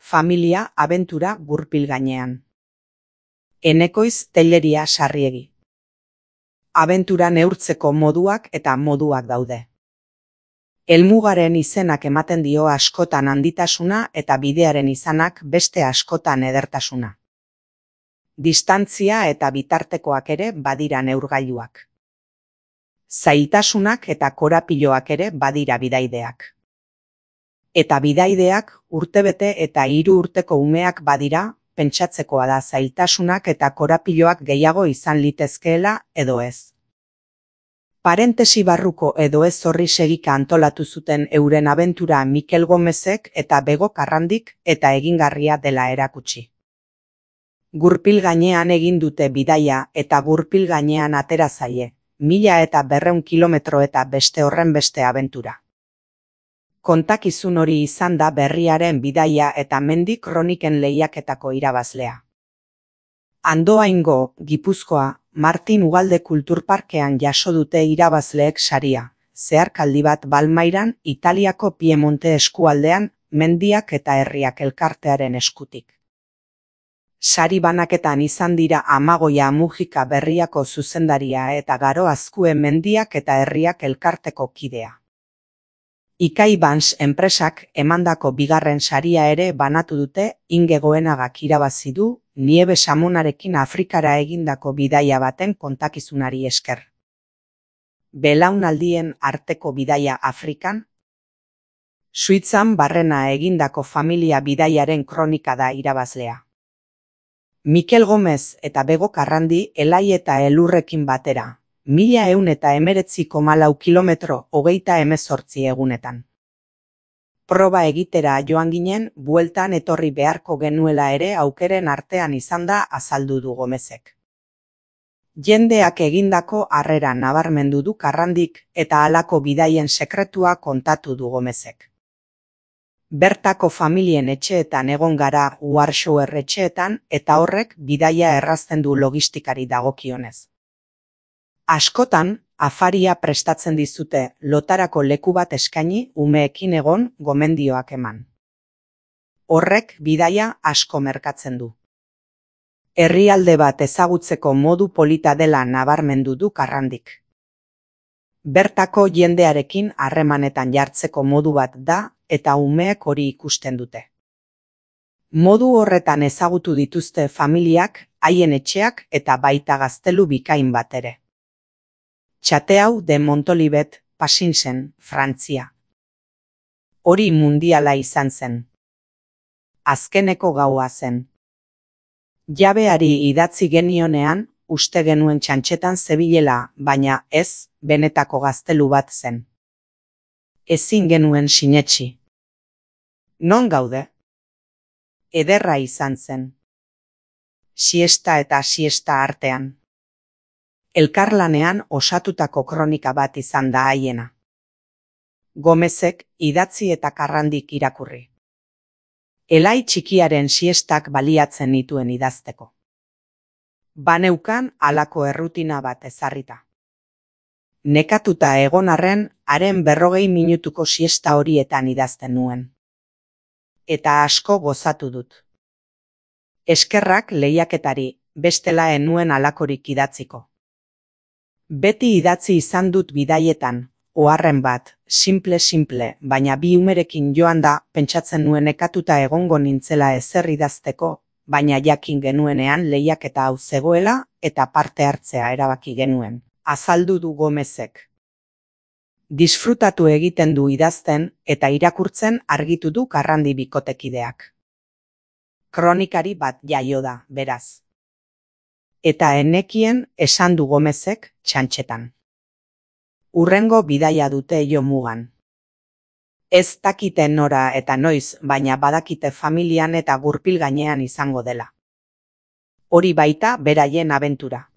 Familia abentura gurpil gainean. Enekoiz Telleria Sarriegi. Abentura neurtzeko moduak eta moduak daude. Helmugaren izenak ematen dio askotan handitasuna eta bidearen izanak beste askotan edertasuna. Distantzia eta bitartekoak ere badira neurgailuak. Zailtasunak eta korapiloak ere badira bidaideak. Eta bidaideak urtebete eta 3 urteko umeak badira, pentsatzekoa da zailtasunak eta korapiloak gehiago izan litezkeela edo ez. Parentesi barruko edo ez horri segika antolatu zuten euren abentura Mikel Gomezek eta Bego Karrandik eta egingarria dela erakutsi. Gurpil gainean egin dute bidaia eta gurpil gainean atera zaie, 1200 kilometro eta beste horren beste abentura. Kontakizun hori izan da berriaren bidaia eta mendi kroniken lehiaketako irabazlea. Andoaingo, Gipuzkoa, Martin Ugalde Kulturparkean jaso dute irabazleek saria, zeharkaldi bat Balmairan, Italiako Piemonte eskualdean, mendiak eta herriak elkartearen eskutik. Sari banaketan izan dira Amagoia Mujika Berriako zuzendaria eta Garo Azkue mendiak eta herriak elkarteko kidea. Ikai Bans enpresak emandako bigarren saria ere banatu dute Inge Goenagak irabazi du, Niebe Samonarekin Afrikara egindako bidaia baten kontakizunari esker. Belaunaldien arteko bidaia Afrikan. Suitzan barrena egindako familia bidaiaren kronika da irabazlea. Mikel Gomez eta Bego Karrandi Elai eta Elurrekin batera. 1119,4 kilometro 38 egunetan. Proba egitera joan ginen, bueltan etorri beharko genuela ere aukeren artean izan da azaldu du Gomezek. Jendeak egindako harrera nabarmendu du Karrandik eta halako bidaien sekretua kontatu du Gomezek. Bertako familien etxeetan egon gara Warschauer etxeetan eta horrek bidaia errazten du logistikari dagokionez. Askotan, afaria prestatzen dizute lotarako leku bat eskaini umeekin egon gomendioak eman. Horrek bidaia asko merkatzen du. Herrialde bat ezagutzeko modu polita dela nabarmendu du Karrandik. Bertako jendearekin harremanetan jartzeko modu bat da eta umeek hori ikusten dute. Modu horretan ezagutu dituzte familiak, haien etxeak eta baita gaztelu bikain bat ere. Txateau de Montolivet, Pasinsen, Frantzia. Hori mundiala izan zen. Azkeneko gaua zen. Jabeari idatzi genionean, uste genuen txantxetan zebilela, baina ez, benetako gaztelu bat zen. Ezin genuen sinetsi. Non gaude? Ederra izan zen. Siesta eta siesta artean. Elkarlanean osatutako kronika bat izan da haiena. Gomezek idatzi eta Karrandik irakurri. Elai txikiaren siestak baliatzen nituen idazteko. Baneukan halako errutina bat ezarrita. Nekatuta egon arren, haren 40 minutuko siesta horietan idazten nuen. Eta asko gozatu dut. Eskerrak lehiaketari, bestela ez nuen halakorik idatziko. Beti idatzi izan dut bidaietan, oharren bat, simple, baina bi umerekin joan da, pentsatzen nuen nekatuta egongo nintzela ezer idazteko, baina jakin genuenean lehiaketa hau zegoela eta parte hartzea erabaki genuen, azaldu du Gomezek. Disfrutatu egiten du idazten eta irakurtzen argitu du Karrandi bikotekideak. Kronikari bat jaio da, beraz. Eta enekien esan du Gomezek txantxetan. Urrengo bidaia dute jo mugan. Ez dakite nora eta noiz, baina badakite familian eta gurpil gainean izango dela. Hori baita beraien abentura.